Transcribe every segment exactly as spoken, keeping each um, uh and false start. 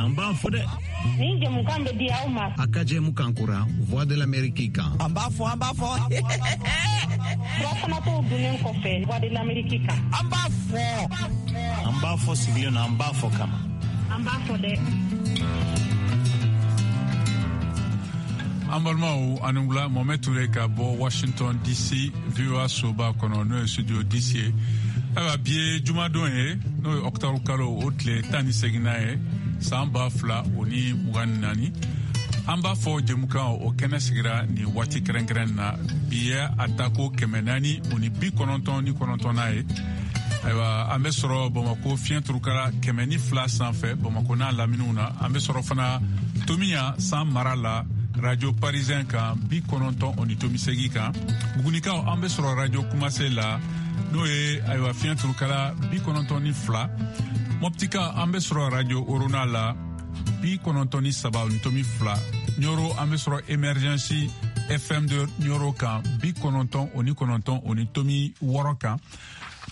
na, an b'a fɔ dɛ. Nin jɛmukan bɛ di aw ma. A ka jɛmukan kura Voix de l'Amérique kan. An b'a fɔ, an b'a fɔ. Furafanatɔw dunnen kɔfɛ Voix de l'Amérique kan. An b'a fɔ. An b'a fɔ sigilen na, an b'a fɔ kama. An b'a fɔ dɛ. An balimaw, ani wula. Mohamed Toure ka bɔ Washington D C, V O A soba kɔnɔ, n'o ye studio D C ye. Ayiwa, bi ye jumadon ye, n'o ye octobre kalo o tile tan ni seginna ye, san ba fila o ni mugan ni naani. An b'a fɔ jɛmukan o kɛnɛ sigira nin waati kɛrɛnkɛrɛn na. Bi ye a tako kɛmɛ naani o ni bi kɔnɔntɔn ni kɔnɔntɔnna ye. Ayiwa, an bɛ sɔrɔ Bamako fiɲɛ turukala kɛmɛ ni fila sanfɛ, Bamako n'a laminiw na. An bɛ sɔrɔ fana Tomiya san mara la, Radio Parisien kan, bi kɔnɔntɔn o ni tomi segi kan. Bugunikaw, an bɛ sɔrɔ Radio Kumase la, n'o ye ayiwa fiɲɛ turukala bi kɔnɔntɔn ni fila. Mɔptika, an bɛ sɔrɔ Radio Orona la, bi kɔnɔntɔn ni saba ni tomi fila. Ɲɔrɔ, an bɛ sɔrɔ Emergency F M de Ɲɔrɔ kan, bi kɔnɔntɔn o ni kɔnɔntɔn o ni tomi wɔɔrɔ kan.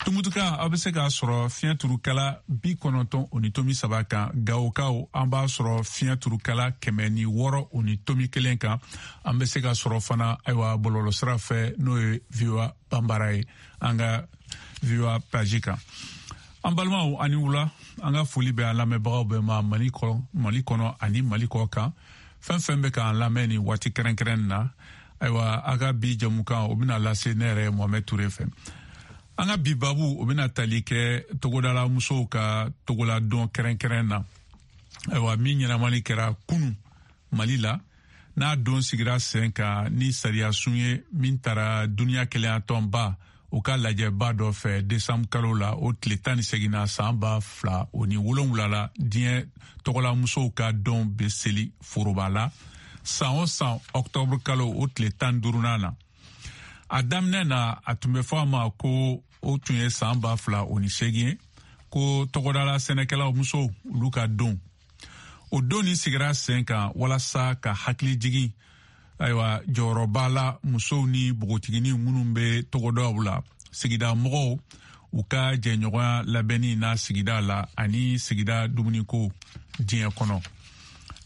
Tumutuka, aw bɛ se k'a sɔrɔ fiɲɛ turukala bi kɔnɔntɔn o ni tomi saba kan. Gawokaw, an b'a sɔrɔ fiɲɛ turukala kɛmɛ ni wɔɔrɔ o ni tomi kelen kan. An bɛ se ka sɔrɔ fana, ayiwa, bɔlɔlɔsira fɛ, n'o ye V O A Banbara ye, an ka V O A page kan. An balimaw, ani wula. An ka foli bɛ an lamɛnbagaw bɛɛ ma, Mali kɔnɔ, Mali kɔnɔ ani Mali kɔ kan, fɛn fɛn bɛ k'an lamɛn nin waati kɛrɛnkɛrɛn na. Ayiwa, a ka bi jamukan o bɛna lase ne yɛrɛ Mohamɛd Ture fɛ. An ka bi babu o bɛna tali kɛ togodala musow ka togoladɔn kɛrɛnkɛrɛn na, ayiwa, min ɲɛnamali kɛra kunu Mali la, n'a don sigira sen kan ni sariya sun ye min tara duniɲa kelenyatɔnba o ka lajɛba dɔ fɛ desanburu kalo la, o tile tan ni seginna, san ba fila o ni wolonwula la. Diɲɛ tɔgɔla musow ka dɔn bɛ seli foroba la san o san, ɔktɔburu kalo o tile tan duurunan na. A daminɛ na, a tun bɛ fɔ a ma ko o tun ye san ba fila o ni seegin ye, ko tɔgɔdala sɛnɛkɛlaw musow olu ka don. O don nin sigira sen kan walasa ka hakili jigin, ayiwa, jɔyɔrɔba la musow ni npogotiginin minnu bɛ togodaw la, sigida mɔgɔw u ka jɛɲɔgɔnya labɛnni na sigida la ani sigida dumuniko diɲɛ kɔnɔ.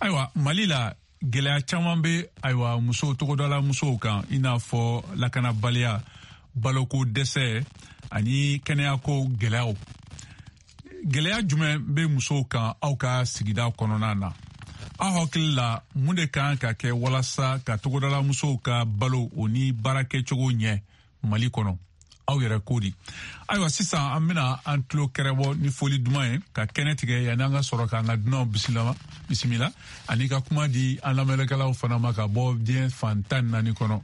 Ayiwa, Mali la, gɛlɛya caman bɛ, ayiwa, musow, togodala musow kan, i n'a fɔ lakanabaliya, baloko dɛsɛ ani kɛnɛyako gɛlɛyaw. Gɛlɛya jumɛn bɛ musow kan aw ka sigida kɔnɔna na? Aw hakili la, mun de kan ka kɛ walasa ka togodala musow ka balo o ni baarakɛcogo ɲɛ Mali kɔnɔ? Aw yɛrɛ ko di? Ayiwa, sisan an bɛna an tulo kɛrɛbɔ ni foli duman ye ka kɛnɛ tigɛ, yanni an ka sɔrɔ k'an ka dunanw bisimila bisimila ani ka kuma di an lamɛnnikɛlaw fana ma ka bɔ diɲɛ fan tan ni naani kɔnɔ.